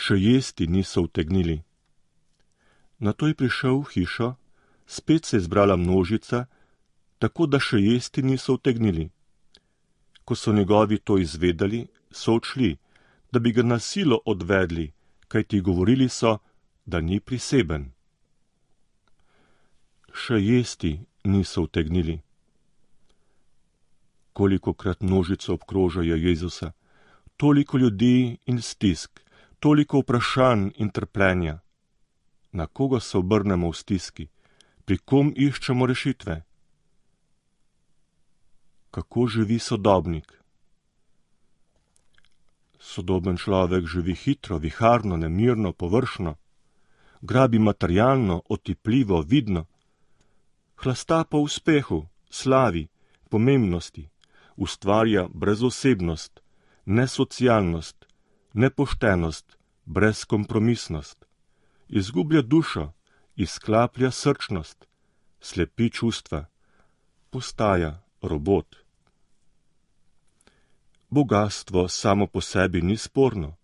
Še jesti niso utegnili. Nato je prišel v hišo, spet se je zbrala množica, tako da še jesti niso utegnili. Ko so njegovi to izvedeli, so odšli, da bi ga na silo odvedli, kajti govorili so, da ni priseben. Še jesti niso utegnili. Kolikokrat množico obkrožajo Jezusa, toliko ljudi in stisk, toliko vprašanj in trpljenja. Na koga se obrnemo v stiski? Pri kom iščemo rešitve? Kako živi sodobnik? Sodoben človek živi hitro, viharno, nemirno, površno, grabi materialno, otipljivo, vidno, hlasta po uspehu, slavi, pomembnosti, ustvarja brezosebnost, nesocialnost, nepoštenost, brezkompromisnost, izgublja dušo, izklaplja srčnost, slepi čustva, postaja robot. Bogastvo samo po sebi ni sporno,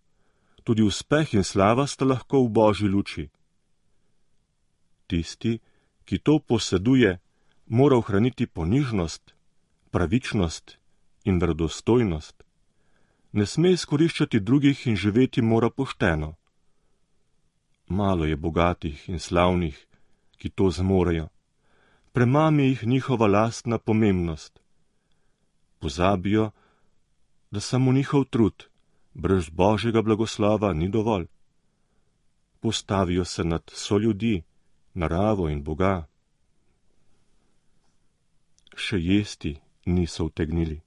tudi uspeh in slava sta lahko v Božji luči. Tisti, ki to poseduje, mora ohraniti ponižnost, pravičnost in verodostojnost. Ne sme izkoriščati drugih in živeti mora pošteno. Malo je bogatih in slavnih, ki to zmorejo. Premami jih njihova lastna pomembnost. Pozabijo, da samo njihov trud, brez Božjega blagoslova, ni dovolj. Postavijo se nad soljudi, naravo in Boga. Še jesti niso utegnili.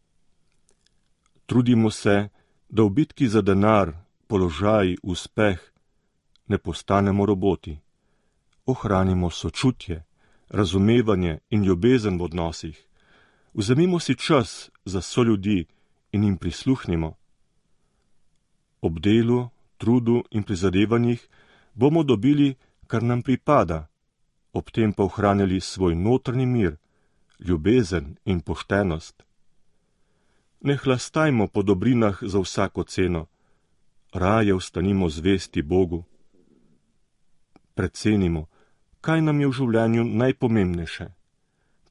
Trudimo se, da v bitki za denar, položaj, uspeh ne postanemo roboti. Ohranimo sočutje, razumevanje in ljubezen v odnosih. Vzemimo si čas za soljudi in jim prisluhnimo. Ob delu, trudu in prizadevanjih bomo dobili, kar nam pripada, ob tem pa ohranjali svoj notranji mir, ljubezen in poštenost. Ne hlastajmo po dobrinah za vsako ceno, raje ostanimo zvesti Bogu. Precenimo, kaj nam je v življenju najpomembnejše.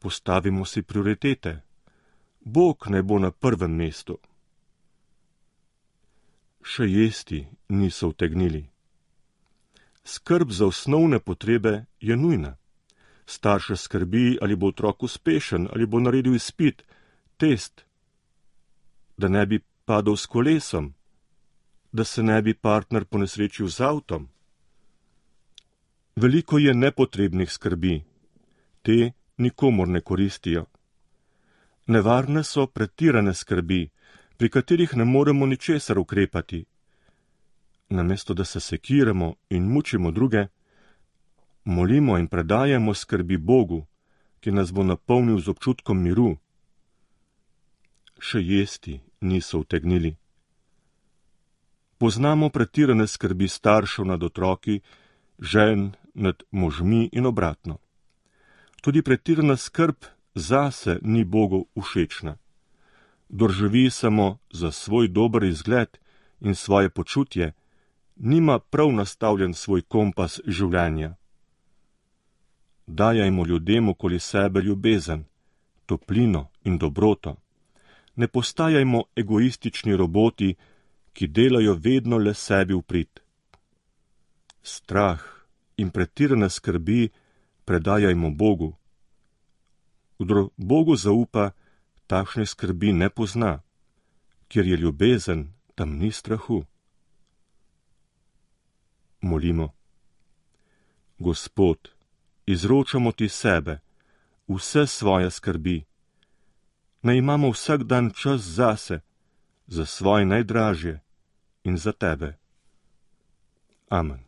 Postavimo si prioritete. Bog naj bo na prvem mestu. Še jesti niso utegnili. Skrb za osnovne potrebe je nujna. Starše skrbi, ali bo otrok uspešen, ali bo naredil izpit, test, da ne bi padel s kolesom, da se ne bi partner ponesrečil z avtom. Veliko je nepotrebnih skrbi. Te nikomur ne koristijo. Nevarne so pretirane skrbi, pri katerih ne moremo ničesar ukrepati. Namesto da se sekiramo in mučimo druge, molimo in predajamo skrbi Bogu, ki nas bo napolnil z občutkom miru. Še jesti niso utegnili. Poznamo pretirane skrbi staršev nad otroki, žen nad možmi in obratno. Tudi pretirana skrb zase ni Bogu všečna. Kdor živi samo za svoj dober izgled in svoje počutje, nima prav nastavljen svoj kompas življenja. Dajajmo ljudem okoli sebe ljubezen, toplino in dobroto. Ne postajajmo egoistični roboti, ki delajo vedno le sebi v prid. Strah in pretirane skrbi predajajmo Bogu. Kdor Bogu zaupa, takšne skrbi ne pozna, kjer je ljubezen, tam ni strahu. Molimo. Gospod, izročamo ti sebe, vse svoje skrbi. Naj imamo vsak dan čas zase, za svoje najdražje in za tebe. Amen.